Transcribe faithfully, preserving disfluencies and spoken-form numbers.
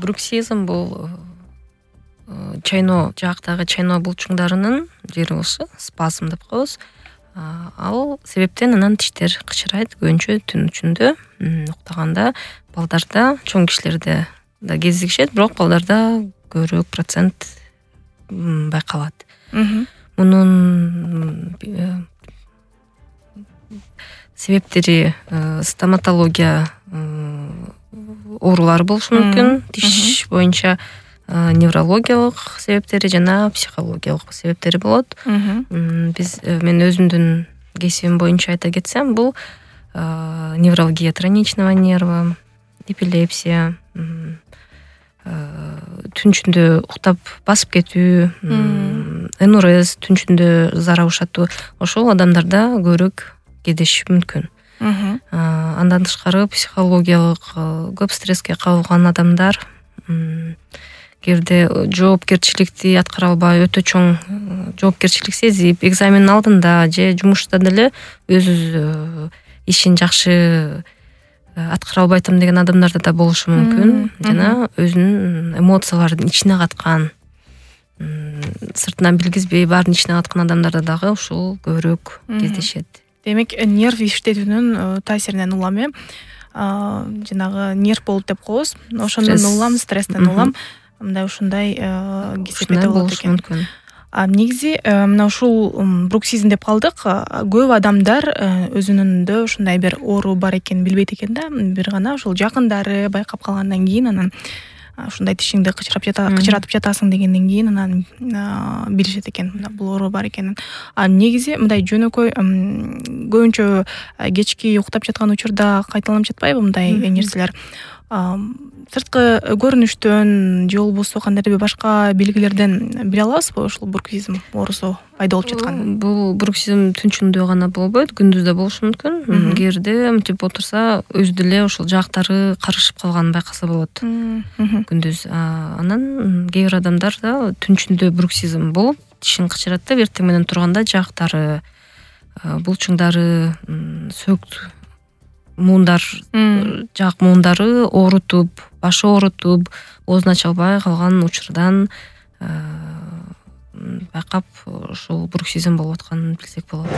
Бруксизм бул чайноо жаактагы чайноо булчуңдарынын жери болсо спазм деп коебуз. Ал себептен анан тиштер кычырайт көбүнчө түн ичинде уктаганда. Балдарда, чоң кишилерде да кезигишет, бирок балдарда көбүрөөк процент байкалат. Мунун себептери стоматология оорулары болушу мүмкүн, тиш боюнча неврологиялык себептери жана психологиялык себептери болот. Биз мен өзүмдүн кесибим боюнча айта кетсем, бул невралгия тройничного нерва, эпилепсия, түн ичинде уктап басып кетүү, энурез, түн ичинде зара ушатуу, ошол адамдарда көбүрөөк кездешиши мүмкүн. Андан тышкары психологиялык көп стресске кабылган адамдар, кээде жоопкерчиликти аткара албай, өтө чоң жоопкерчилик сезип, экзамендин алдында же жумушта деле өз ишин жакшы аткара албай атам деген адамдарда да болушу мүмкүн. Жана өзүнүн эмоцияларын ичине каткан, сыртынан билгизбей баарын ичине каткан адамдарда дагы ушул көбүрөөк кездешет. Демек, нерв иштетүүнүн таасиринен улам э жанагы нерв болуп деп коебуз. Ошондон улам, стресстен улам мындай ушундай кесепети болот экен. А негизи мына ушул бруксизм деп калдык. Көп адамдар өзүнүндө ушундай бир оору бар экенин билбейт экен да. Бир гана ушул жакындары байкап калгандан кийин анан ушундай тишиңди кычырап жата кычыратып жатасың дегенден кийин анан билишет экен бул оору бар экенин. А негизи мындай жөнөкөй көбүнчө кечки уктап жаткан учурда кайталанып жатпайбы мындай нерселер? Сырткы көрүнүштөн же болбосо кандайдыр бир башка белгилерден биле алабызбы ушул бруксизм оорусу пайда болуп жатканын? Бул бруксизм түн ичинде гана болбойт, күндүз да болушу мүмкүн. Кээде мынтип отурса, өзү деле ошол жаактары карышып калганын байкаса болот күндүз. Анан кээ бир адамдарда түн ичинде бруксизм болуп, тишин кычырат деп эртең менен турганда жаактары, булчуңдары, сөк муундар, жаак муундары оорутуп, башы оорутуп, оозун ача албай калган учурдан байкап ушул бруксизм болуп атканын билсек болот.